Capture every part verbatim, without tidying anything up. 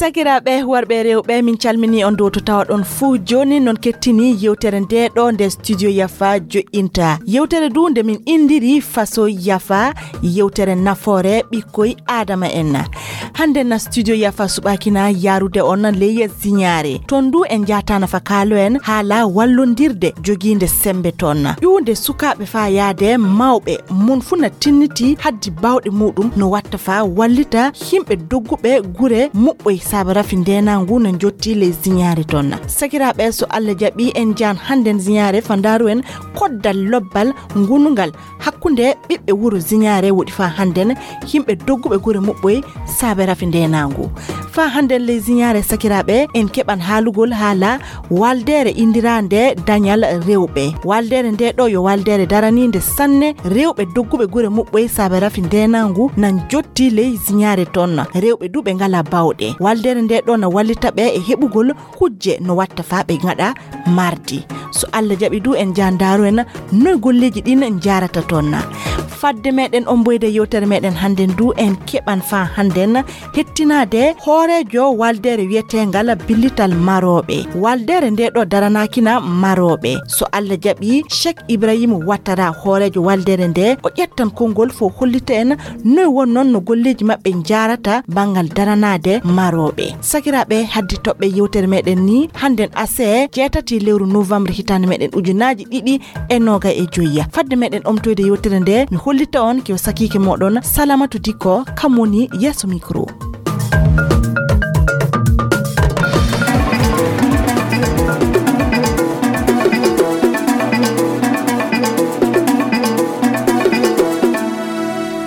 Sakiraaɓe worɓe e rewɓe, min calminii on dow to tawaɗon fuu. Jooni non kettini yewtere nde ɗo nde Studio Yafa joƴƴinta. Yewtere du nde min inndiri Faso Yafa, yewtere nafoore ɓikkoy Aadama en. Hannde na Studio Yafa suɓaaki na yaarude on ley ziñaare. Ton du en njaataana fa kaalo en haala wallondirde jogiinde semmbe ton. Ƴuwde sukaaɓe faa yaade mawɓe, mon fuu na tinnitii haddi baawɗe muuɗum no watta faa wallita yimɓe dogguɓe gure muɓɓoy saabe rafi ndeenaangu na njottii ley ziñaare ton. Sakiraaɓe, so Alla jaɓii, en njaan hannden ziñaare faa ndaaru en koddal lobbal ngonungal hakkunde ɓiɓɓe wuro ziñaare woɗi faa hannden yimɓe dogguɓe gure muɓɓoy saabe rafi ndeenaangu. Faa hannden ley ziñaare, sakiraaɓe, en keɓan haalugol haala waldeere inndiraande dañal rewɓe. Waldeere nde ɗo yo waldeere daraniinde sanne rewɓe dogguɓe gure muɓɓoy saabe rafi ndeenaangu na njottii ley ziñaare ton. Rewɓe du ɓe ngalaa baawɗe. Waldeere nde ɗo na wallita ɓe e heɓugol kujje no watta faa ɓe ngaɗa mardi. So Alla jaɓi du en njaan ndaaru en noy golleeji ɗin njaarata ton. Fadde meɗen omboyde yewtere meɗen hannden du en keɓan faa hannden hettinaade hooreejo waldeere wiyeteengal Billital Marooɓe. Waldeere nde ɗo daranaaki na marooɓe. So Alla jaɓi, Cheikh Ibrahim Ouattara, hooreejo waldeere nde, o ƴettan konngol fo hollita en noy won non no golleeji maɓɓe njaarata banngal daranaade marooɓe. Sakiraaɓe, haddi toɓɓe yewtere meɗen ni hannden asee jeetati lewru novembre hitaande meɗen ujunaaji ɗiɗi e noogay e joyi. Fadde meɗen omtoyde yewtere nde, mi hollita on ko sakiike moɗon Salamatu Dikko, kam woni yeeso micro.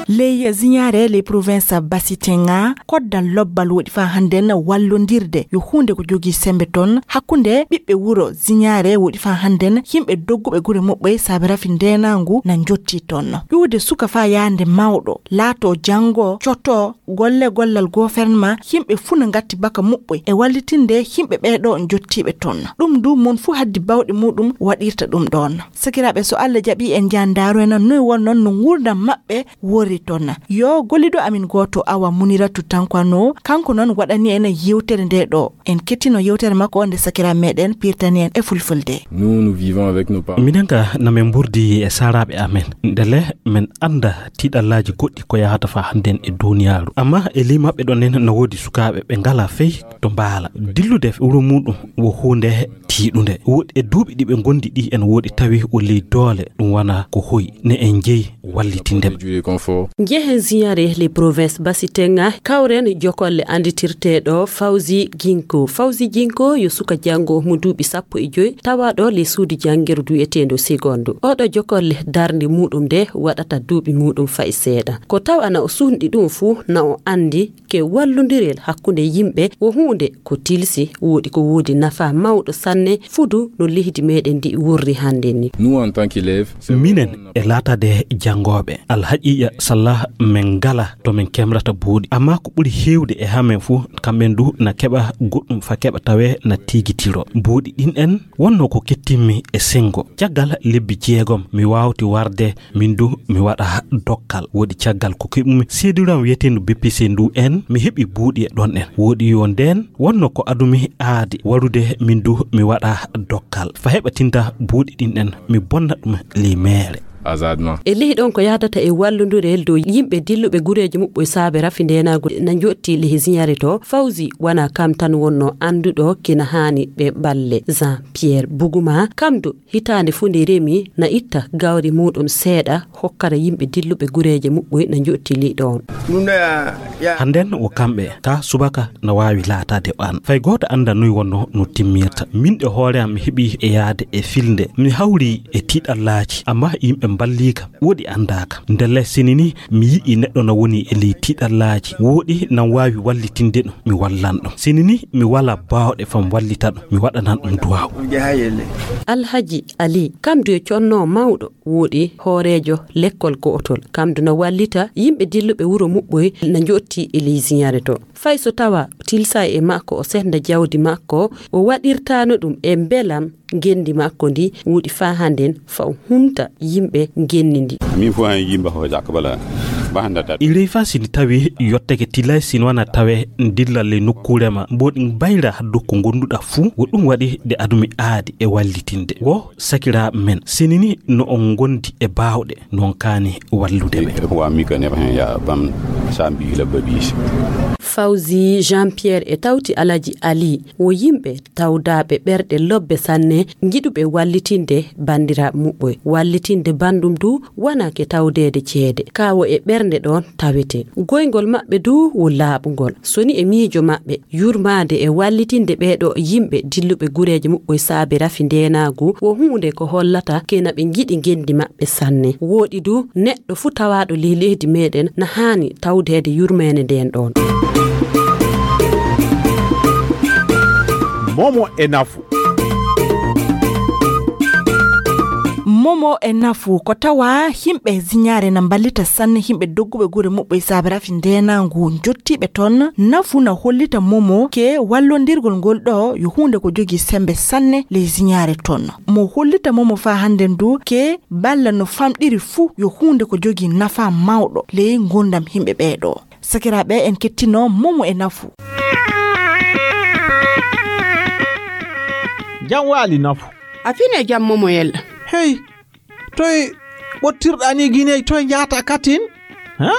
Ley ziñaare ley province Basitenga, koddal lobbal woɗi faa hannden wallondirde yo huunde ko jogii semmbe ton hakkunde ɓiɓɓe wuro ziñaare woɗi faa hannden yimɓe dogguɓe gure muɓɓoy saabe rafi ndeenaangu na njottii ton. Ƴuwde suka faa yaande mawɗo, laatoo janngo, cotoo, golle gollal gofernma, yimɓe fuu na ngatti baka muɓɓoy e wallitinde yimɓe ɓee ɗo njottiiɓe ton. Ɗum du mon fuu haddi baawɗe muuɗum waɗirta ɗum ɗoon. Sakiraaɓe, so Alla jaɓi en njaan ndaaru en noy won non no nguurndam maɓɓe worri ton. Yo golliɗo amin gooto Awa Muniratu Tankwano, kanko non waɗani en yewtere nde ɗo. En kettino yewtere makko nde sakiraaɓe meɗen pirtani en e fulfulde. Nous, nous vivons avec nos parents. Minen ka na min mburdi e saaraaɓe amen. Ndele min annda tiiɗallaaji goɗɗi ko yahata faa hannden e duuniyaaru. Amma e ley maɓɓe ɗon en na woodi sukaaɓe ɓe ngalaa fey to mbaala. Dillude wuro muuɗum wo huunde tiiɗunde. Woodi e duuɓi ɗi ɓe ngondi ɗi en woodi tawi o ley doole ɗum wona ko hoyi ne en jeyi wallitinde ɓe. Njehen ziyaare les provinces Basitenga, kawren jokolle annditirteeɗo Fawzi Ginko. Fawzi Ginko yo suka janngo mo duuɓi sappo e joy, tawaaɗo le suudu janngirdu wi'eteendo Seconde. Oɗo jokolle darnde muuɗum nde waɗata duuɓi muuɗum fa'i seeɗa. Ko tawa na o suhndi ɗum fuu, na o anndi ke wallondirel hakkunde yimɓe wo huunde ko tilsi, woɗi ko woodi nafa mawɗo sanne fudu no leydi meɗen ndi wurri hannde ni. Nous, en tant qu'élèves, c'est Minen e laataade janngooɓe, alhaqiiqa sallah min ngala to min kemrata buuɗi. Amma ko ɓuri heewde e hamen fuu, kamɓen du na keɓa goɗɗum fa keɓa tawee na tiigitiro. Buuɗi ɗin en wonno ko kettimmi e senngo. Caggal lebbi jeegom, mi waawti warde, min du mi waɗa dokkal. Woodi caggal ko keɓumi seediram wiyeteendu B P C ndu en, mi heɓi buuɗi e ɗon en. Woodi yo ndeen wonno ko adumi aadi warude, min du mi waɗa dokkal. Fa heɓa tinta buuɗi ɗin en, mi bonna ɗum ley meere. Azadma. E ley ɗon ko yahdata e wallondirel dow yimɓe dilluɓe gureeji muɓɓo e saabe rafi ndeenaagu na njotti ley ziyaare to. Fawzi wona kam tan wonno annduɗo kina haani ɓe ɓalle. Jean Pierre Buguma, kam du hitaande fuu nde remi na itta gawri muuɗum seeɗa hokkara yimɓe dilluɓe gureeje muɓɓoy na njotti ley ɗon. Hannden wo kamɓe, ka subaka na waawi laataade o an. Fay gooto annda noy wonno no timmirta. Min e hoore am mi heɓi e yaade e filnde. Mi hawri e tiiɗallaaji, amma yimɓe mballii kam. Woɗi anndaaka. Ndelle sini ni mi yi'i neɗɗo na woni e ley tiiɗallaaji. Woɗi nan waawi wallitinde ɗum. Mi wallan ɗum. Sini ni mi wala baawɗe fam wallita ɗum. Mi waɗanan ɗum duwaawu. Alhaji Ali, kam du e conno mawɗo. Woɗi hooreejo lekkol go'otol. Kam du na wallita yimɓe dilluɓe wuro muɓɓoy na njotti e ley ziyaare to. Fay so tawa tilsa e makko o senda jawdi makko, o waɗirtaano ɗum e mbelam ngenndi makko ndi wuuɗi faa hannden faa o humta yimɓe ngenndi ndi. Min fof en yimɓe ko jakka bala bahanda tat. Irey fa sini tawi yotteke tilay sin wana tawe dillal le nokkuure ma mboɗi bayra dokku gonduɗa fuu wo ɗum waɗi de adumi aadi e wallitinde wo sakira men sinini no on gondi e baawɗe non kaani wallude ɓe. Wa mi ka ne ya bam sambi la babis. Fawzi Jean Pierre e tawti Alaji Ali wo yimɓe tawdaaɓe ɓerɗe lobbe sanne, njiɗuɓe wallitinde banndiraaɓe muɓɓoy. Wallitinde banndum du wonaa ke tawdeede ceede, kaa wo e ɓernde ɗoon tawetee. Goyngol maɓɓe du wo laaɓungol. So ni e miijo maɓɓe, yurmaade e wallitinde ɓee ɗoo yimɓe dilluɓe gureeje muɓɓoy saabe rafi ndeenaagu wo huunde ko hollata ke na ɓe njiɗi ngenndi maɓɓe sanne. Wooɗi du, neɗɗo fuu tawaaɗo ley leydi meeɗen na haani tawdeede yurmeende ndeen ɗoon. Momo e nafu. Momo e nafu ko tawa yimɓe ziñaare na mballita sanne yimɓe dogguɓe gure muɓɓe e saabe rafi ndeenaangu njottiiɓe toon. Nafu na hollita momo ke wallondirgol ngol ɗo yo huunde ko jogii semmbe sanne ley ziñaare toon. Mo hollita momo faa hannden du ke balla no famɗiri fuu yo huunde ko jogii nafaa mawɗo ley ngurndam yimɓe ɓee ɗoo. Sakiraaɓe, en kettino momo e nafu. Jam waali nafu. A fine jam momo yella. Hey, toy ɓottirɗaa ni Giney, toy njaata katin? Ha?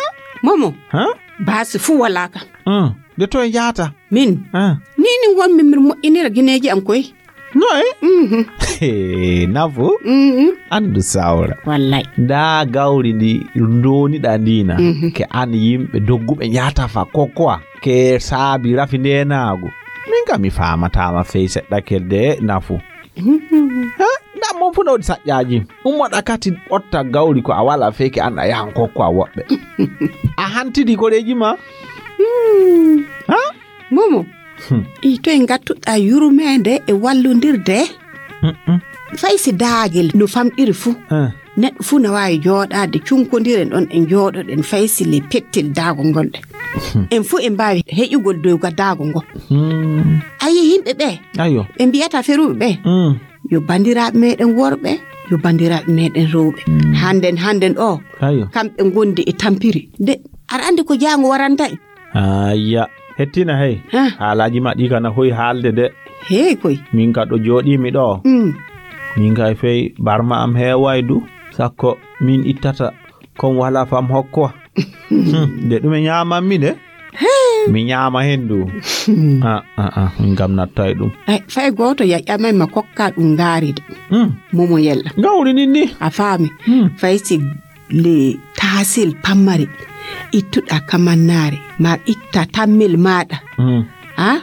Momo. Ha? Baasi fuu walaa ka. Hmm. De toy njaata? Min. Ha? Ni ni wonmi mir moƴƴinira gineeji am koy. Noy? Mhm. Hey, nafu? Mhm. Anndu sawra. Wallay. Ndaa gawri ndi ndoniɗaa ndi na. Mhm. Ke an yimɓe dogguɓe njaata fa kokkowa. Ke saabi rafi ndeenaagu. Min kam mi faamataama fey seɗɗa kelde nafu. Mhm. Ha? Ndaa mon fu nawdi saƴƴaaji. Ummoɗa kati ɓotta gawri ko a wala fey ke an a yahan kokkowa woɓɓe. A hantidi koreeji ma? Hmm. Ha? Momo. Hmm. I toy ngattuɗaa yurmeende e wallondirde? Mm-mm. Fay si daagel no famɗiri fuu. Eh. Neɗɗo fuu no waawi jooɗaade cunkondiren ɗon en njooɗoɗen fay si le pettel daago ngol ɗe. Hmm. En fuu en mbaawi heƴugol dow ga daago ngo. Hmm. A yii yimɓe ɓe? Ayo. Ɓe mbiyata feruɓe ɓe? Hmm. Yo banndiraaɓe meeɗen worɓe, yo banndiraaɓe meeɗen rewɓe. Hmm. Hannden, hannden o, ayo, kamɓe ngondi e tampiri. De, aɗa anndi ko jaango waranta en? Ayya, hettina hey. Ha. Haalaaji ma ɗi kana hoy haalde de. Hey koy. Min ka ɗo jooɗii mi ɗo. Mm. Min kay fey barma am heeway du. Sakko min ittata kon wala fam hokko. Hmm, de ɗume ñaaman mi de. Hey. Mi ñaama hen du. Hmm. Ah, ah, ah, min kam nattay ɗum. Ay, fay gooto yaƴamay ma kokka ɗum ngaari de. Hmm. Momo yella. Gawri nin ni. A faami. Hmm. Fay si le taasil pammari ittuɗa kamannaare ma itta tammel maaɗa. Mm. A, ah,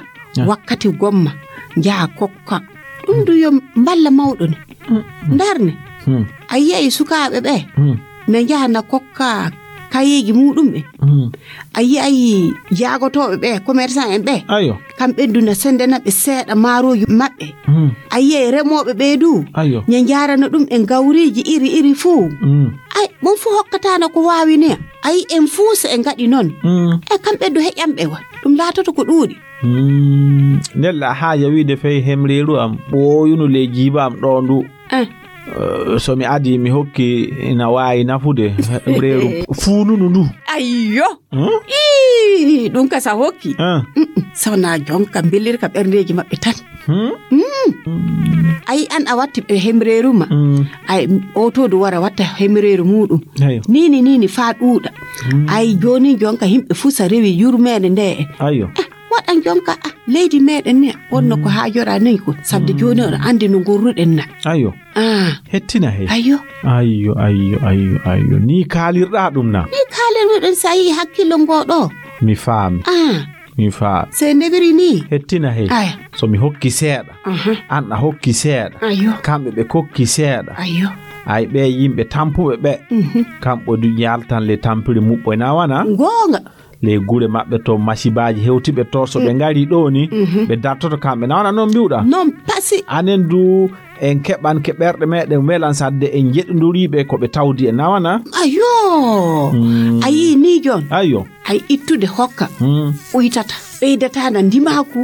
wakkati gomma njaha kokka ɗum du yo mballa mawɗo ne. Mm. Ndarne. Mm. A yiyay sukaaɓe ɓe, mm, na njaha na kokka kayeeji muɗum ɓe. Mm. A yiyay jaagotooɓe ɓe, commerçant en ɓe. Ayo. Kamɓe du na senndana ɓe seeɗa maarooji maɓɓe. Hmm. A yiyay remooɓe ɓee du. Ayo. Ña njaarana ɗum en gawriiji iri iri fuu. Hmm. Ay, mon fuu hokkataano ko waawi ne. Ay, en fuu so en ngaɗi noon. Hmm. E kamɓe du heƴanɓe wa. Ɗum laatoto ko ɗuuɗi. Hmm. Nella haaja wiide fey hemreeru am. Ɓooyunu le jiiba am ɗo ndu. Eh. Eh, so mi adii, mi hokki, ina waawi nafude reeru fuununu ndu. Ayyo. Hmm? Ii, ɗum ka sa hokki. Ah. Mm-mm. Sawna jonka mbelirka ɓerndeeji maɓɓe tan. Hmm? Mm. Ay, an a watti ɓe hemreeru ma. Hmm. Ay, oto du wara watta hemreeru muɗum. Ayo. Nini, nini, faa ɗuuɗa. Hmm. Ay, jooni jonka yimɓe fuu sa rewi yurmeende nde. Ayo. Ah, waɗan jonka, ah, leydi meeɗen ne, wonno ko, mm, haajora nen ko, sabde, mm, jooni oɗon anndi no ngorruɗen na. Ayo. Ah. Hettina he. Ayo. Ayo, ayo, ayo, ayo. Ni kaalirɗa ɗum na? Ni kaalirɗen sa yii hakkillo ngo ɗo. Mi faami. Ah. Mi faami. Se ndewiri ni. Hettina he. Aya. So mi hokki seeɗa, aha, an a hokki seeɗa. Ayo. Kamɓe ɓe kokki seeɗa. Ayo. Ay, ɓe yimɓe tampuɓe ɓe. Mhm. Kamɓe du yaltan le tampiri muɓɓo na wana? Goonga. Ley gure maɓɓe to, masibaaji hewtiɓe to, so ɓe, mm, ngari ɗo ni, mhm, ɓe dartoto kamɓe. Na wana noon mbiwɗa? Noon pasi. Anen du, en keɓan ke ɓerɗe meɗen welan sadde en jeɗondoriiɓe ko ɓe tawdi e na wana? Ayo. Mm. A yii ni joon? Ayo. Ay ittude hokka. Mm. Uytata. Ɓeydata na ndimaaku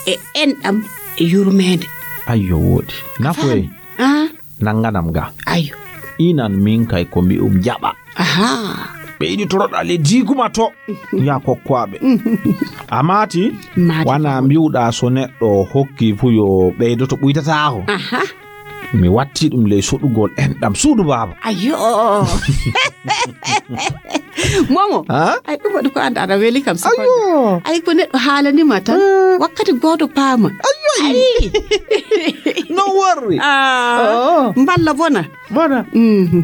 e enɗam e yurmeende. Ayyo, wooɗi. Nafoy. Ah. Nannganam ga. Ayyo. Inan min kay ko mbi'um jaɓa. Aha. Ɓe yiɗi toroɗa le diguma to. Ya kokkoaɓe. A maati? Maati. Wana mbi'uɗa so neɗɗo hokki fu yo ɓeydoto ɓuytataako. Aha. Mi watti ɗum ley suɗugol enɗam suudu baaba. Ayyo. Momo. Ha? Ay, ɗum waɗi ko anda aɗa weli kam, sukon. Ayyo. Ay, ko neɗɗo haalanima tan. Eh. Wakkati gooto paama. Ayyo. Ay. No worri. Ah. Oh. Mballa bona. Bona. Mhm.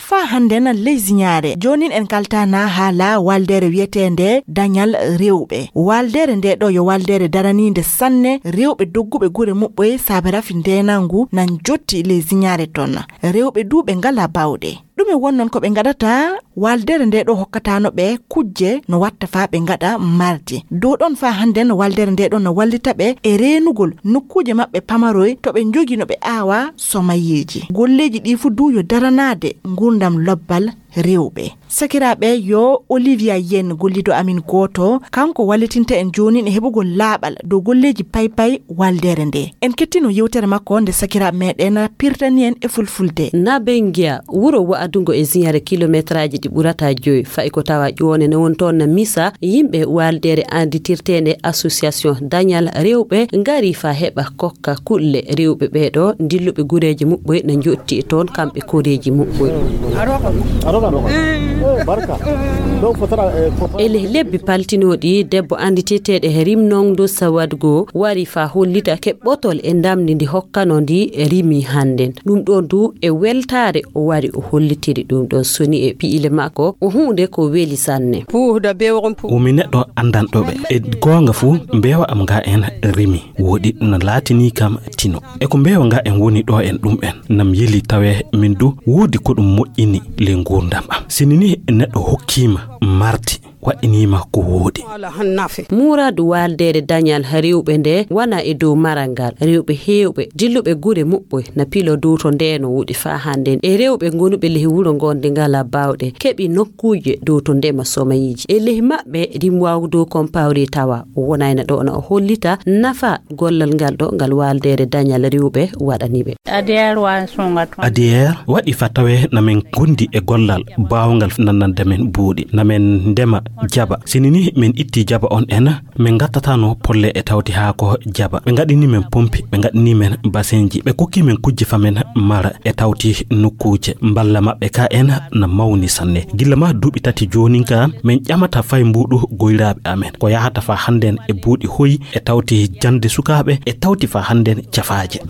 Faa hannden ley siñaare. Joonin en kaltana haala waaldeere wiyeteende Dañal Rewɓe. Waaldeere ndee ɗoo yo waaldeere daraniinde sanne rewɓe dogguɓe gure muɓɓoye saabe rafi ndeenangu na njotti ley siñaare toon. Rewɓe duu ɓe ngalaa baawɗe. Ɗume wonnon ko ɓe ngaɗata? Waaldeere ndee ɗoo hokkataano ɓe kujje no watta faa ɓe ngaɗa mardi. Dow ɗoon faa hannden waaldeere ndee ɗoo no wallita ɓe e reenugol nokkuuje maɓɓe pamaroy to ɓe njogii no ɓe aawa somayeeji. Golleeji ɗii fuu duu yo daranaade nguurndam lobbal rewɓe. Sakiraaɓe, yo Olivia Yen gollido amin gooto, kanko wallitinta en joonin e heɓugol laaɓal dow golleeji paypay waaldeere ndee. En kettino yewtere makko nde sakiraaɓe meɗen pirtani en e fulfulde. Nabengia, wuro wa'adungo e siñaare kilometraaji ɗi ɓurata joy, fa'i ko tawa ƴoone ne won toon na misa, yimɓe waaldeere anditirteende Association Dañal Rewɓe ngari faa heɓa kokka kulle rewɓe ɓeeɗo dilluɓe gureeji muɓɓoy na njotti toon kamɓe koreeji muɓɓoy. E leh lebbi paltinooɗi, debbo annditeteeɗo he rimnongo Sawadgo wari faa hollita keɓɓotol e ndamndi ndi hokkano ndi rimi hannden. Ɗum ɗoon du e weltaare o wari o hollitiri ɗum ɗoon soni e pi'ile makko o huunde ko weli sanne. Puuhda bewrum pu- Wumi neɗɗo anndanɗo ɓe. E goonga fuu, mbeewa am nga en rimi. Wooɗi no laatinii kam tino. E ko mbeewa nga en woni ɗo en ɗum en. Nam yeli tawe min du woodi ko ɗum moƴƴini le nguurndam am. Sini ni neɗɗo hokkiima mardi, waɗɗiniima ko wooɗi. Muuraadu waaldeere dañal rewɓe nde wana e dow maral ngal. Rewɓe heewɓe, dilluɓe gure muɓɓoy, na pilo dow to nde no woɗi faa hannden. E rewɓe ngonuɓe lehi wuro ngon nde ngala baawɗe, keɓi nokkuuje dow to ndema somayiiji. E lehi maɓɓe, rimwaagu dow kompawri tawa. O wonayna ɗo na o hollita nafa gollal ngal ɗo ngal waaldeere dañal rewɓe waɗani ɓe. Adier waɗi fa tawe na men gondi e gollal baawngal nannande men buuɗi. Na men ndema jaba. Sini ni men itti jaba on en, men ngattatano polle e tawti haa ko jaba. Ɓe ngaɗini men pompi, ɓe ngaɗini men basenji, ɓe kokki men kujje fa men mara e tawti nokkuuje. Mballa maɓɓe ka en na mawni sanne. Gilla ma duuɓi tati joonin ka, men ƴamata fay mbuuɗu goyraaɓe amen. Ko yahata fa hannden e buuɗi hoyi e tawti jannde sukaaɓe e tawti fa hannden cafaaje.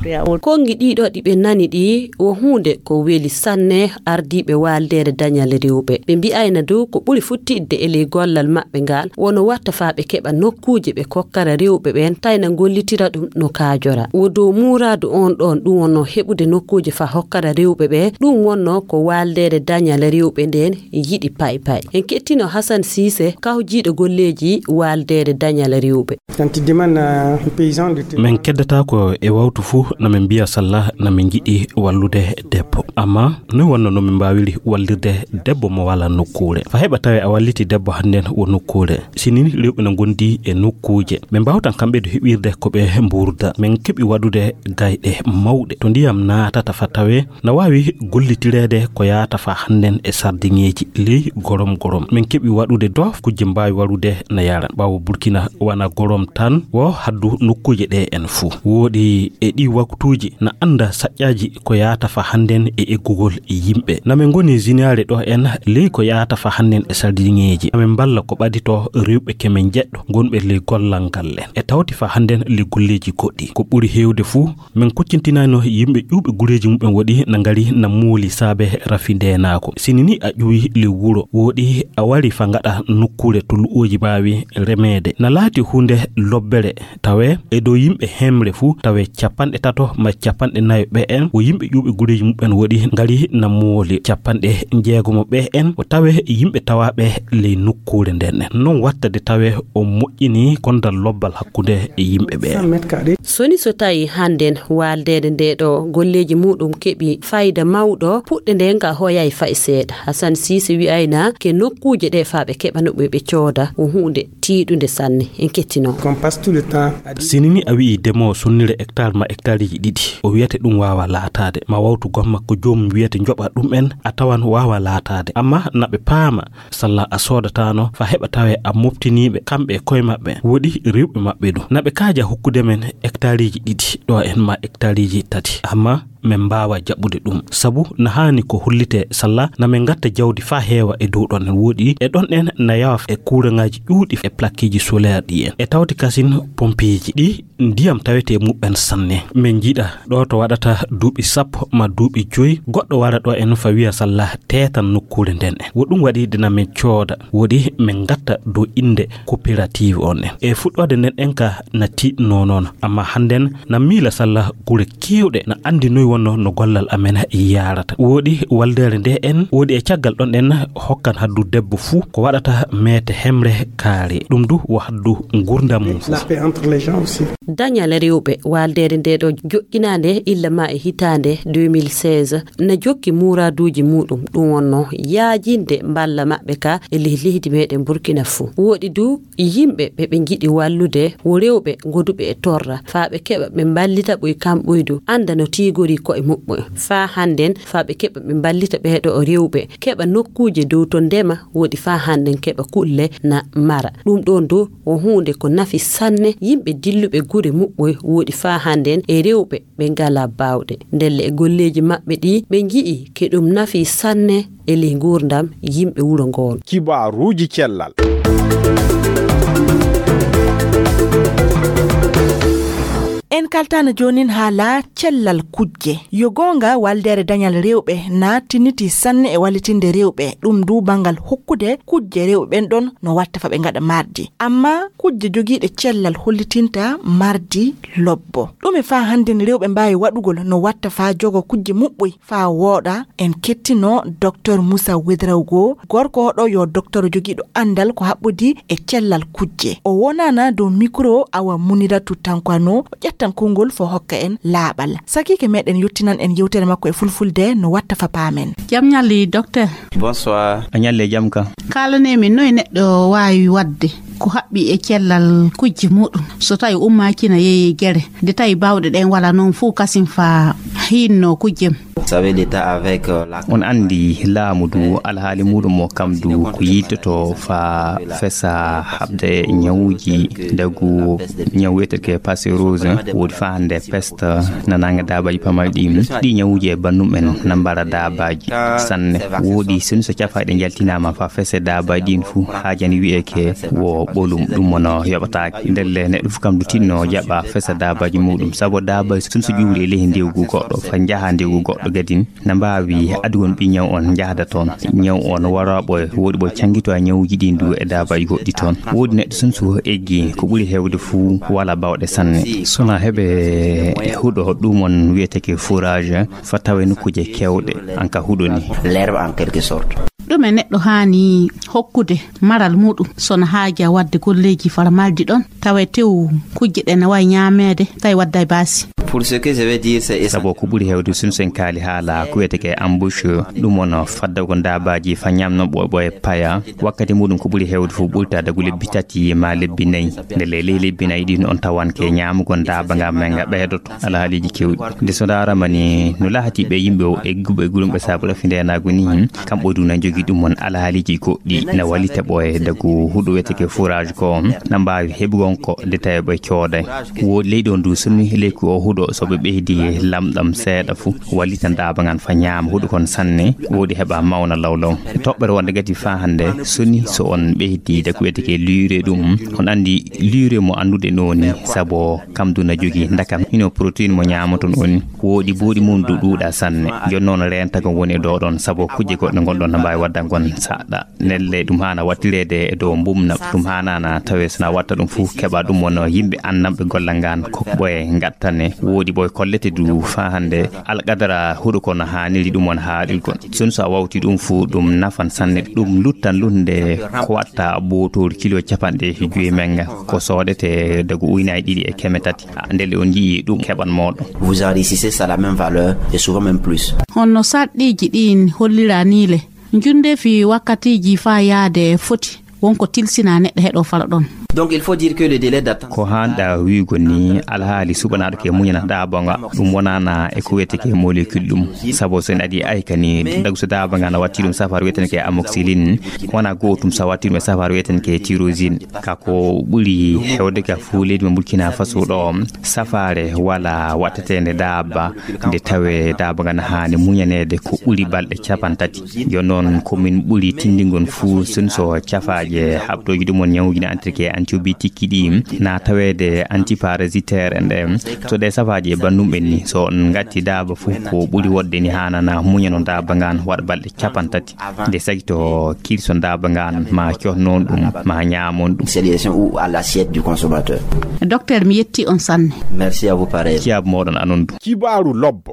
Konngi ɗiɗo ɗi ɓe nani ɗi, wo huunde ko weli sanne ardiiɓe waaldeere dañal rewɓe. Ɓe mbi'ayna dow ko ɓuri futtidde e ley gollal maɓɓe ngal, wono watta faa ɓe keɓa nokkuuje ɓe kokkara rewɓe ɓeen, tayna ngollitira ɗum no kaajora. Wo dow muuraadu on ɗoon ɗum wonno heɓude nokkuuje faa hokkara rewɓe ɓe, ɗum wonno ko waaldeere dañal rewɓe ndeen yiɗi pay pay. En kettino Hasan Siise, kawjiiɗo golleeji waaldeere dañal rewɓe. Kanti diman, eh, paysan de te- Men keddata ko e wawtu fuu, na men mbiya salla, na men njiɗi wallude debbo. Amma noy wonno no min mbaawiri wallirde debbo mo wala nokkuure? Fa heɓa tawe a walliti debbo hannden wo nokkuure. Sini rewɓe na ngondi e nokkuuje. Ɓe mbaawtan kamɓe du heɓirde ko ɓe mbuurda. Men keɓi waɗude gayɗe mawɗe. To ndiyam naatata fa tawe, na waawi gollitireede ko yaata fa hannden e sardiŋeeji ley gorom gorom. Men keɓi waɗude dof kujje mbaawi warude na yara. Ɓaawo Burkina wana gorom tan wo haddu nokkuuje ɗe en fuu. Wooɗi e ɗi waktuuji na annda saƴƴaaji ko yaata fa hannden e eggugol yimɓe. Na men ngoni ziniyaare ɗo en ley ko yaata fa hannden e sardiŋeeji. Na men mballa ko ɓadito rewɓe ke men jeɗɗo ngonɓe ley gollal ngal en. E tawti fa hannden ley golleeji goɗɗi. Ko ɓuri heewde fuu, men koccintinayno yimɓe ƴuwɓe gureeji muɓɓen woɗi na ngari na mooli saabe rafi ndeenaako. Sini ni a ƴuwi ley wuro, wooɗi a wari fa ngaɗa nokkuure to lu'ooji mbaawi remeede. Na laati huunde lobbere tawe e dow yimɓe hemre fuu, tawe capanɗe tato ma capanɗe nayo ɓe en, wo yimɓe ƴuwɓe gureeji muɓɓen woɗi ngari na mooli. Capanɗe njeegomo ɓe en, wo tawe yimɓe tawaaɓe ley nokku kuure nden en. Non watta de tawe o moƴƴini kondal lobbal hakkunde e yimɓe ɓe. Soni so tawi hannden waaldeede nde ɗo golleeji muɗum keɓi fayda mawɗo, puɗɗe nde nga hoyay fay seeɗa. Hasan Siise wi'ayna ke nokkuuje ɗe faa ɓe keɓa no ɓe ɓe cooda, o huunde tiiɗunde sanne. En kettino. Sinini a wi'i demowo sonnire hectare ma hectareji ɗiɗi, o wiyate ɗum waawa laataade. Ma wawtu gomma ko joomum wiyate njoɓa ɗum en, a tawan waawa laataade. Amma na ɓe paama, salla a soodataano fa heɓa tawe a moftiniiɓe kamɓe e koye maɓɓe, woɗi rewɓe maɓɓe ɗum. Na ɓe kaaja hokkude men hectareji ɗiɗi ɗo en ma hectareji tati. Amma men mbaawa jaɓude ɗum. Sabu na haani ko hollite salla na men ngatta jawdi fa heewa e dow ɗon en woɗi. E ɗon en na yawa e kuuraŋaaji ƴuuɗi e plaqueji solaire ɗi en. E tawti kasin pompeeji ɗi ndiyam tawete muɓɓen sanne. Men jiɗa ɗo to waɗata duuɓi sappo ma duuɓi joyi, goɗɗo wara ɗo en fa wiya salla teetan nokkuure nden en. Wo ɗum waɗi dina men cooda, woɗi men ngatta dow innde coopérative on en. E fuɗɗoode nden en ka na tiiɗnoo noon, amma hannden na miila salla gure keewɗe na anndi noy wonno no gollal amen yaarata. Woɗi waldeere nde en, woɗi e caggal ɗon en hokkan haddu debbo fuu ko waɗata meete hemre kaare. Ɗum du wo haddu ngurdam mum fuu. Dañal rewɓe waaldeere nde ɗo joƴƴinaande illa ma e hitaande deux mille seize na jokki muuraaduuji muɗum, ɗum wonno yaajinde mballa maɓɓe ka e leh leydi meɗen Burkina fuu. Woɗi du yimɓe ɓe ɓe njiɗi wallude wo rewɓe goduɓe e torra, faa ɓe keɓa ɓe mballita ɓoy kamɓoy du annda no tiigori ko'e muɓɓoy. Faa hannden, faa ɓe keɓa ɓe mballita ɓee ɗo rewɓe, keɓa nokkuuje dow to ndema, woɗi faa hannden keɓa kulle na mara. Ɗum ɗoon du wo huunde ko nafi sanne yimɓe dilluɓe gure muɓɓoy, woɗi faa hannden e rewɓe ɓe ngalaa baawɗe. Ndelle e golleeji maɓɓe ɗi ɓe nji'i ke ɗum nafi sanne e ley nguurndam yimɓe wuro ngoon. Kibaaruuji cellal. En kaltaano joonin haala cellal kujje. Yo goonga, waldeere dañal rewɓe na tinnitii sanne e wallitinde rewɓe, ɗum du banngal hokkude kujje rewɓe ɓen ɗon no watta fa ɓe ngaɗa mardi. Amma kujje jogiiɗe cellal hollitinta mardi lobbo. Ɗume faa hannden rewɓe mbaawi waɗugol no watta faa jogo kujje muɓɓoy faa wooɗa? En kettino Doktor Musa Wedrawgo, gorko oɗo yo doktor jogiiɗo anndal ko haɓɓodi e cellal kujje. O wonaana dow mikro Awa Muniratu Tankwano, o ƴettan konngol fo hokka en laaɓal. Sakiike meɗen yottinan en yewtere makko e fulfulde no watta fa paamen. Jam ñalli, doktor. Bonsoir. A ñalli e jam ka. Kaalanee min noy neɗɗo waawi waɗde ko haɓɓi e cellal kujje muɗum so tawi ummaaki na yeeyi gere, nde tawi baawɗe ɗen wala noon fuu kasin fa hiinno kujjem. Vous savez, l'État avec, euh, la On anndi laamu du alhaali muɗum o kam du ko yittoto fa fesa haɓde ñawuuji dagu ñaw wiyeteke peste rouge, woodi fa hannde peste na nanga daabaji pamaji ɗi. Ɗi ñawuuji e bannum en na mbara daabaji sanne. Woodi soni so cafaaɗe njaltinaama fa fese daabaji ɗin fuu haajani wiyeke wo ɓolum, ɗum mono yoɓataake. Ndelle neɗɗo fuu kam du tinno jaɓa fesa daabaji muɗum, sabu daabaji soni so ƴuuri e ley ndewgu goɗɗo fa njaha ndewgu goɗɗo gadin. Na mbaawi adugol ɓi ñaw on njahda toon. Ñaw on wara ɓoy, woodi ɓoy canngito e ñawuuji ɗin du e daabaji goɗɗi toon. Woodi neɗɗo sun so eggi ko ɓuri heewde fuu wala bawɗe sanne. Sona heɓe huɗo ɗum on wiyeteke fourrage, fa tawe nokkuuje kewɗe, an ka huɗo ni. L'herbe en quelque sorte. Ɗume neɗɗo haani hokkude maral muɗum sona haaja wadde golleeji fara maldi ɗon? Tawe tew kujje ɗe na wawi ñaameede, tawi wadda e baasi. Pour ce que je vais dire, c'est essentiel. Sabo ko ɓuri heewde sun sen kaali haala ko wiyeteke embouche, ɗum won fadda ko ndaabaji fa ñamno ɓoy ɓoy paya. Wakkati muɗum ko ɓuri heewde fof ɓurta dagu lebbi tati ma lebbi nayi. Nde ley ley lebbi nayi ɗin on tawanke ñaamugol ndaaba nga men nga ɓeydoto alhaaliji kewɗi. Nde so ndaarama ni no lahati ɓe yimɓe o egguɓe e gulumɓe saabu rafi ndenagu ni, kamɓe du na jogi ɗum on alhaaliji goɗɗi na wallita ɓoye dagu huɗo wiyeteke fourrage ko na mbaawi heɓugol ko nde tawi ɓe cooday. Woodi ley ɗon du sonni ley ko o huɗo so ɓe ɓeydi lamɗam seeɗa fu wallita ndaaba ngan fa ñaama huɗo kon sanne, woodi heɓa mawna lawlaw. Toɓɓere wonde gati fa hannde sonni so on ɓeydi dagu wiyeteke lure ɗum. On anndi lure mo anndude nooni sabo kam du na jogi ndakam hino protéine mo ñaamaton on. Woodi buuɗi mum du ɗuuɗa sanne. Jonno on reentagol woni e dow ɗon sabo kujje goɗɗe ngonɗon na mbaawi wadde Tangon saɗɗa nelle ɗum haana wattireede e dow mbumna, ɗum haanaana tawee so na watta ɗum fof keɓa ɗum won yimɓe annamɓe gollal ngal, ko ɓoye ngattane, woodi ɓoye kollete du faa hannde alqadara huɗo kono haaniri ɗum won haaɗirgol. Sun so a wawti ɗum fof ɗum nafan sanne, ɗum luttan lutnde ko watta bootoori kilo capanɗe joyi menga, ko soodete dagu ujunaaji ɗiɗi e keme tati. Ndelle on njii ɗum keɓan mooɗon. Vous enrichissez ça la même valeur et souvent même plus. Honno sarɗiiji ɗin hollira ni le? Njundeefi wakkatiiji faa yaade foti wonko tilsina neɗɗo heɗo fala ɗon. Donc il faut dire que le délai d'attente. Ko haanɗa wi'ugo ni, alhaali suɓanaaɗo ke muñana ɗaabonga ɗum wonaana e ko wiyetee ke molécule ɗum. Sabu so en adii ayka ni, dagu so daabonga na watti ɗum safaara wiyetee ke amoxicilline, wona gootum so watti ɗum e safaara wiyetee ke tyrosine. Ka ko ɓuri hewde ka fuu leydi mo Burkina Faso ɗo, safaare wala watteteende daaba nde tawee daaba ngan haani muñaneede ko ɓuri balɗe capantati. Yo noon ko min ɓuri tinndingol fuu sun so cafaaje haɓtooji ɗum on ñawuji na antirke antibiotique ɗi na taweede antiparasitaire en ɗe. So ɗe safaaji e bannum en ni, so on ngatti daaba fuu ko ɓuri woɗde ni haanana muñano daaba ngan waɗa balɗe capantati. Nde sagito kirson daaba ngan ma cohnon ɗum ma ñaamon ɗum. C'est les gens ou à l'assiette du consommateur. Docteur, mi yetti on sanne. Merci à vous pareil. Ciyaabu moɗon anon du. Kibaaru lobbo.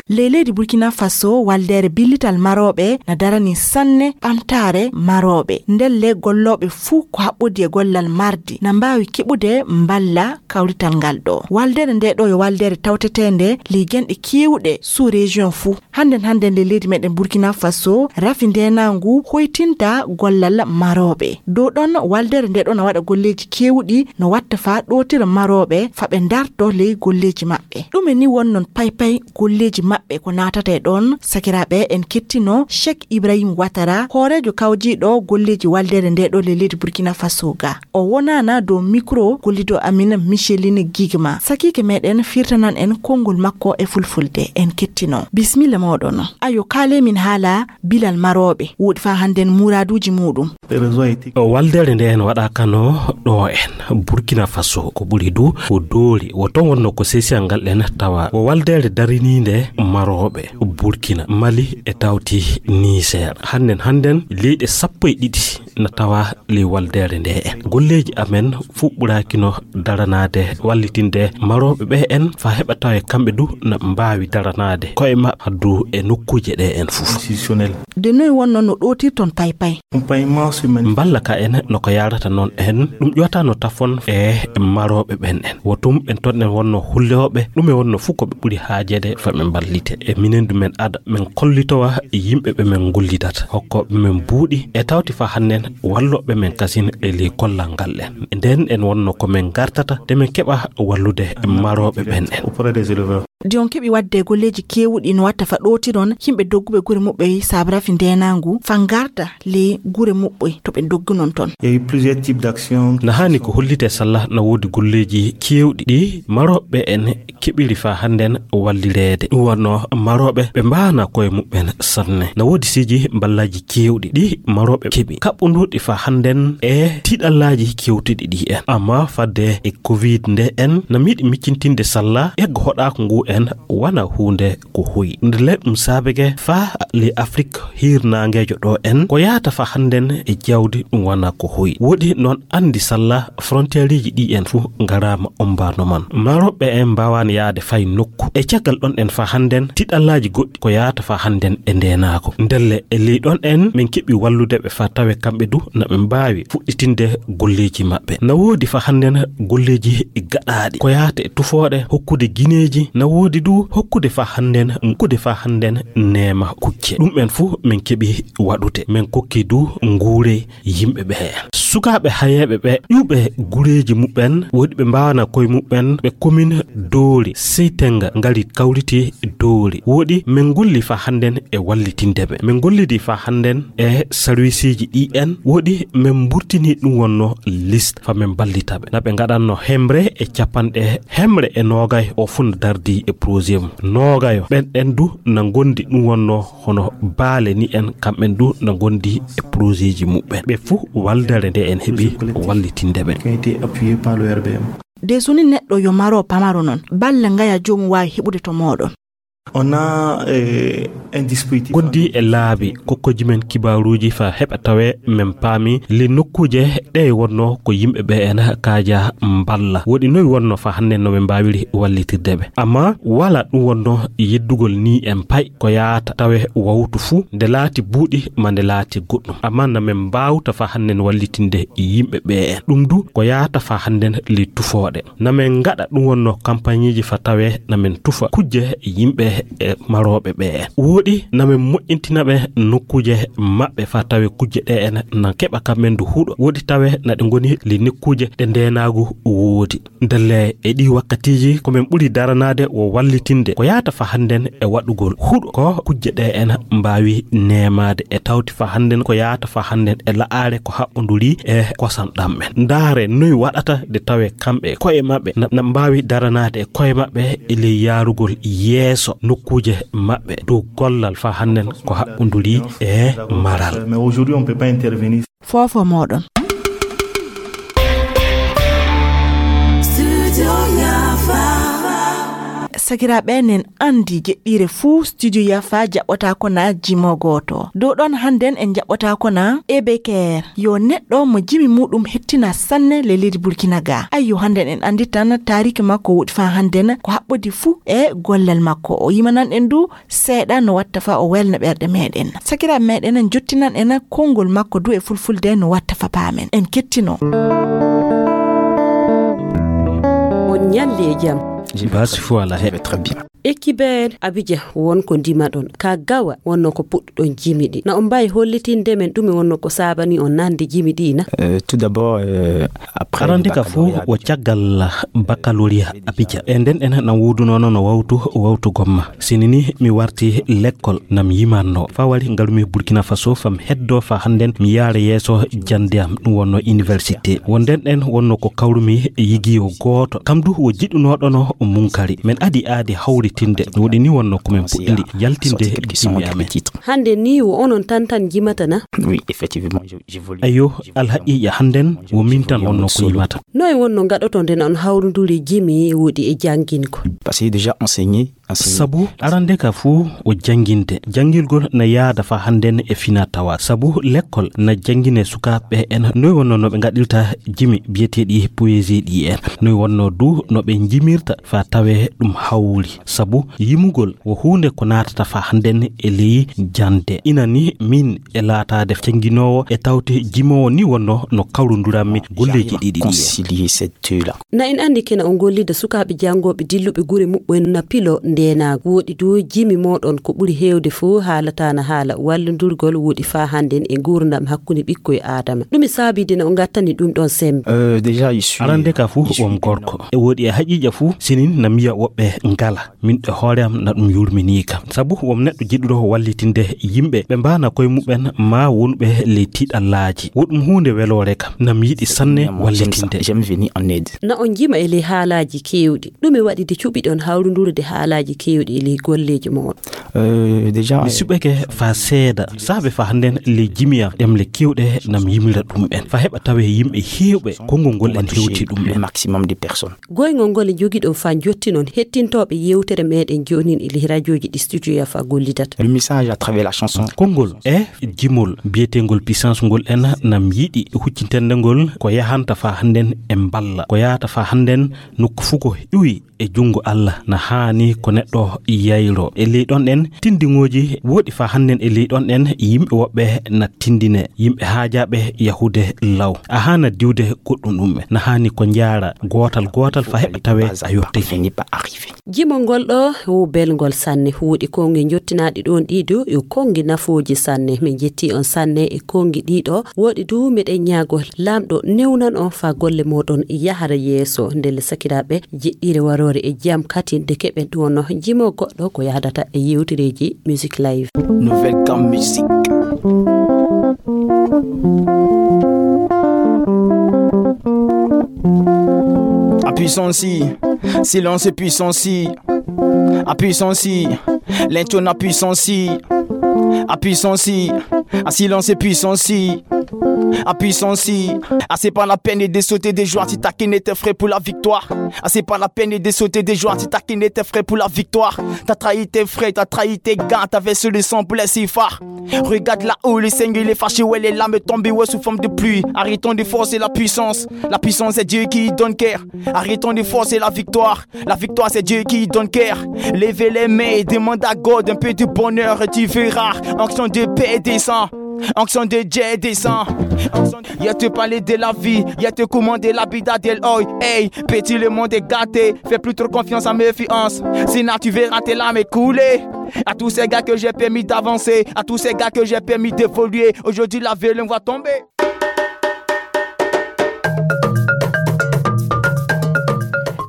Ley leydi Burkina Faso, waldeere billital marooɓe na darani sanne ɓamtaare marooɓe. Ndelle gollooɓe fuu ko haɓɓodi e gollal mardi na mbaawi keɓude mballa kawrital ngal ɗo. Waldeere nde ɗo yo waldeere tawteteende ley genɗe keewuɗe sous région fuu. Hannden hannden ley leydi meɗen Burkina Faso, rafi ndeenaangu hoytinta gollal marooɓe. Dow ɗon waldeere nde ɗo na waɗa golleeji keewuɗi no watta faa ɗootira marooɓe faa ɓe ndarto ley golleeji maɓɓe. Ɗume ni wonnon paypay golleeji maɓɓe ko naatata e ɗon? Sakiraaɓe, en kettino Cheikh Ibrahim Ouattara, hooreejo kawjiiɗo golleeji waldeere nde ɗo ley leydi Burkina Faso ga. O wonaana dow mikro gollido amin Micheline Gigma. Sakiike meɗen firtanan en konngol makko e fulfulde. En kettino. Bismilla moɗon. Ayo, kaale min haala bilal marooɓe. Woɗi faa hannden muraaduuji muɗum. Waldeere nde en waɗa kano ɗo en Burkina Faso ko ɓuri du ko doori. Wo ton wonno ko sesiyal ngal ɗen tawa. Wo waldeere dariniinde marooɓe Burkina, Mali e tawti Niger. Hannden hannden leyɗe sappo e ɗiɗi na tawa ley waldeere nde en. Golleeji amen fuu ɓuraakino daranaade wallitinde marooɓe ɓe en faa heɓa tawe kamɓe du na mbaawi daranaade koye maɓɓe haddu e nokkuuje ɗe en fuu. De noy wonno no ɗootirton paypay? Mballa ka en no ko yaarata noon en, ɗum ƴoota no tafon e marooɓe ɓen en. Wo tum ɓen ton en wonno hullooɓe, ɗum e wonno fuu ko ɓe ɓuri haajeede faa ɓe mballite. E minen du men ada, men kollitowa yimɓe ɓe men ngollidata, hokkooɓe men buuɗi, e tawti faa hannden wallooɓe men kasin e ley kollal ngal en. Nden en wonno ko men ngartata, de men keɓa wallude marooɓe ɓen en. De on keɓi waɗde golleeji keewuɗi no watta faa ɗootiron yimɓe dogguɓe gure muɓɓe saabu rafi ndeenaangu faa ngarda ley gure muɓɓe to ɓe doggunon ton. Na haani ko hollitee salla na woodi golleeji keewɗi ɗi marooɓe en keɓiri faa hannden wallireede. Ɗum wonno marooɓe ɓe mbaana koye muɓɓen sanne. Na woodi siji mballaaji keewɗi ɗi marooɓe keɓi. Kaɓɓunduɗi faa hannden e tiɗallaaji kewtiɗi ɗi en. Amma fadde e covid nde en, na miɗi miccintinde salla eggo hoɗaako ngu en wana huunde ko hoyi. Nde le ɗum saabege faa le Afrik hiirnaangeejo ɗo en, ko yaata faa hannden e jawdi ɗum wana ko hoyi. Woɗi noon anndi salla frontiereeji ɗi en fuu ngaraama ombaano man. Marooɓe en mbaawaani yaade fay nokku. E caggal ɗon en faa hannden tiɗallaaji goɗɗi ko yaata faa hannden e ndeenaako. Ndelle e ley ɗon en min keɓi wallude ɓe faa tawe kamɓe du na ɓe mbaawi fuɗɗitinde golleeji maɓɓe. Na woodi faa hannden golleeji gaɗaaɗi ko yaata e tufooɗe, hokkude gineeji, na woodi du hokkude faa hannden, hokkude faa hannden neema kucce. Ɗum en fuu min keɓi waɗude. Min kokki du nguure yimɓe ɓe. Sukaaɓe hayeeɓe ɓe ƴuuɓe gureeji muɓɓen, woodi ɓe mbaawana koye muɓɓen, ɓe komin Doori, Seytenga ngari kawriti Doori. Woodi min ngolli faa hannden e wallitinde ɓe. Min ngollidi faa hannden e sarwisiiji ɗi en. Woodi min mburtini ɗum wonno liste faa min mballita ɓe. Na ɓe ngaɗanno hemre e capanɗe hemre e noogay o fuu na dardi e projet mum. Noogayo ɓen ɗen du na ngondi ɗum wonno hono baale ni en kamɓen du na ngondi e projetji muɓɓen. Ɓe fuu waldere nde en heɓi wallitinde ɓe. De so ni neɗɗo yo maro pamaro non, balla ngaya joomum waawi heɓude to mooɗon. On a, eh, un dispositif. Gondi e laabi kokkoji men kibaaruuji fa heɓa tawe men paami le nokkuuje ɗe wonno ko yimɓe ɓe en kaaja mballa. Woɗi noy wonno fa hannde no ɓe mbaawiri wallitirde ɓe. Amma wala ɗum wonno yeddugol ni en pay ko yaata tawe wawtu fuu nde laati buuɗi ma nde laati goɗɗum. Amma na men mbaawta fa hannde wallitinde yimɓe ɓe en. Ɗum du ko yaata fa hannde le tufooɗe. Na men ngaɗa ɗum wonno kampañeeji fa tawe na men tufa kujje yimɓe e marooɓe ɓe en. Woɗi na men moƴƴintina ɓe nokkuuje maɓɓe fa tawe kujje ɗe en na keɓa kamɓe ndu huɗo. Woɗi tawe na ɗe ngoni le nokkuuje ɗe ndeenaagu woodi. Ndelle e ɗi wakkatiiji ko men ɓuri daranaade wo wallitinde ko yaata fa hannden e waɗugol huɗo ko kujje ɗe en mbaawi neemaade e tawti fa hannden ko yaata fa hannden e la'aare ko haɓɓonduri e kosam ɗam men. Ndaare noy waɗata nde tawe kamɓe koye maɓɓe na, na mbaawi daranaade e koye maɓɓe e ley yaarugol yeeso nokkuuje maɓɓe dow gollal fa hannden ko haɓɓonduri e maral. Mais aujourd'hui, on peut pas intervenir. Foofo mooɗon. Studio Yafa. Sakiraaɓe, nen anndi jeɗɗiire fuu Studio Yafa jaɓɓotaako na jimo gooto. Dow ɗon hannden en jaɓɓotaako na Ebeker. Yo neɗɗo mo jimi muuɗum hettina sanne le leydi Burkina ga. Ayyo, hannden en anndi tan taariki makko woɗi faa hannden ko haɓɓodi fuu e gollal makko. O yimanan en du seeɗa no watta fa o welna ɓerɗe meɗen. Sakiraaɓe meɗen, en jottinan en konngol makko du e fulfulde no watta fa paamen. En kettino. On ñalli e jam. Basi fo ala heɓe très bien. Ekibel Abidjan won ko ndimaɗon. Ka gawa wonno ko puɗɗuɗon jimiɗi. Na on mbawi hollitinde men ɗume wonno ko saabani on nande jimiɗi na? Euh, tout d'abord, euh, après Arande ka fo baccalauréat o caggal baccalauréat Abidjan. E nden en na wodunono no wawtu, wawtu gomma. Sinini mi warti lekkol nam yimanno. Fa wari ngalumi Burkina Faso fam heddo fa hannden mi yaara yeeso jande am ɗum wonno université. Wonden ɗen wonno ko kawrumi yigiyo gooto. Kam du wo jiɗunoɗono munkari. Men adi aadi hawritinde. Woɗi ni wonno ko men puɗɗiri yaltinde jimi amen. Hande ni wo onon tan tan jimata na? Oui, effectivement, je, j'évolue. Ayo, alhaqiqa hannden wo min tan wonno ko yimata. Noy wonno ngaɗoto nden on hawrunduri jimi woɗi e jangingol? Parce que déjà enseigné, enseigné. Sabu arande ka fuu o janginde. Jangirgol na yaada fa hannden e fina tawa. Sabu lekkol na jangine sukaaɓe en noy wonno no ɓe ngaɗirta jimi biyeteeɗi poésie ɗi en. Noy wonno du no ɓe jimirta fa tawe ɗum hawri. Sabu yimugol wo huunde ko naatata fa hannden e ley jande. Ina ni min e laataade jannginoowo e tawte jimoowo ni wonno no kawrunduranmi golleeji ɗiɗi ɗi en. Na en anndi kena on gollida sukaaɓe janngooɓe dilluɓe gure muɓɓen na pilo ndeenaagu. Woɗi du jimi mooɗon ko ɓuri heewde fof haalata na haala wallondurgol woɗi fa hannden e nguurndam hakkunde ɓikkoy Aadama. Ɗum e saabide na o ngattani ɗum ɗon sembe. Euh, déjà, je suis, Arande ka fuu je suis won gorko. E woɗi e haqiiqa fuu sinin na mbiya woɓɓe ngala. Min e hoore am na ɗum yurminii kam. Sabu won neɗɗo jiɗuɗo wallitinde yimɓe ɓe mbaana koye muɓɓen ma wonɓe ley tiɗallaaji. Wo ɗum huunde weloore kam. Na mi yiɗi sanne wallitinde. J'aime venir en aide. Na on jima e ley haalaaji keewɗi. Ɗume waɗi de cuɓiɗon hawrundurude haalaaji keewɗi e ley golleeji moɗon? Euh, déjà, mi suɓake fa seeda. Saabe fa hannden ley jimi am ɗemle keewɗe nam yimira ɗum en. Fa heɓa tawe yimɓe heewɓe konngol ngol en hewti ɗum en. Le maximum de personnes. Goyngol ngol e jogiɗon fa jottinon hettintooɓe yewtere meɗen jonin e ley rajooji ɗi Studio Yafa gollidata. Le message à travers la chanson. Konngol e jimol biyeteengol puissance ngol en nam yiɗi huccintende ngol ko yahanta fa hannden e mballa. Ko yahata fa hannden nokku fuu ko iwi e junngo Allah na haani ko neɗɗo yayro. E ley ɗon en tindiŋooji woɗi fa hannden e ley ɗon en yimɓe woɓɓe na tindine yimɓe haajaaɓe yahude law. A haana diwde goɗɗum ɗum en. Na haani ko njaara gootal gootal fa heɓa tawe a yottay. Jimol ngol ɗo wo belngol sanne. Huuɗi konngi jottinaɗi ɗon ɗiɗo yo konngi nafooji sanne. Min jetti on sanne e konngi ɗiɗo. Woɗi du meɗen ñaago Laamɗo newnan on fa golle moɗon yahara yeeso. Ndelle sakiraaɓe, jeɗɗiire waroore e jam katin de keɓen ɗum wonno jimo goɗɗo ko yahdata e yewtereeji Music Live. Nouvelle Gamme Musique. A puissance, silence et puissance. A puissance, l'intonation puissance. A puissance, a silence et puissance. La puissance, si. Ah, c'est pas la peine de sauter des joints si t'as qui n'était frais pour la victoire. Ah, c'est pas la peine de sauter des joints si t'as qui n'était frais pour la victoire. T'as trahi tes frères, t'as trahi tes gars, t'avais sur le sang pour les siffards. Regarde là où le Seigneur il est fâché, ouais, les lames tombent, ouais, sous forme de pluie. Arrêtons de forcer la puissance. La puissance, c'est Dieu qui donne cœur. Arrêtons de forcer la victoire. La victoire, c'est Dieu qui donne cœur. Levez les mains et demande à God un peu de bonheur, tu verras. Onction de paix descend. Onction de Dieu descend. Onction de... Il te parle de la vie, il te commande la bida del oi. Hey, petit, le monde est gâté. Fais plus trop confiance à méfiance. Sinon, tu verras tes larmes couler. À tous ces gars que j'ai permis d'avancer, à tous ces gars que j'ai permis d'évoluer, aujourd'hui la vie les voit tomber.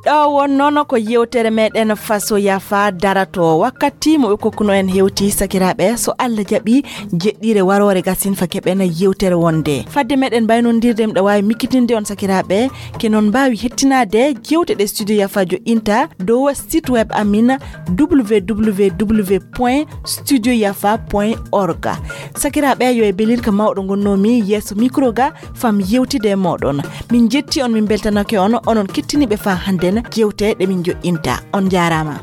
Ɗo wonnono ko yewtere meɗen faso yafa darato. Wakkati mo ɓe kokkuno en hewti, sakiraɓe, so Allah jaɓi, jeɗɗire warore gasin fa keɓen yewtere wonde. Fadde meɗen mbaynodirde, miɗo wawi mikkitinde on, sakiraɓe, ke non mbawi hettinade jewte ɗe Studio Yafa joɗɗinta dow site web amin, www point studio yafa point org. Sakiraɓe, yo e belir ka mawɗo gonnomi yeeso micro ga, fam yewtide e moɗon. Min jetti on, min beltanake on, onon kettiniɓe fa handen jewte ɗe min joɗɗinta. On jarama.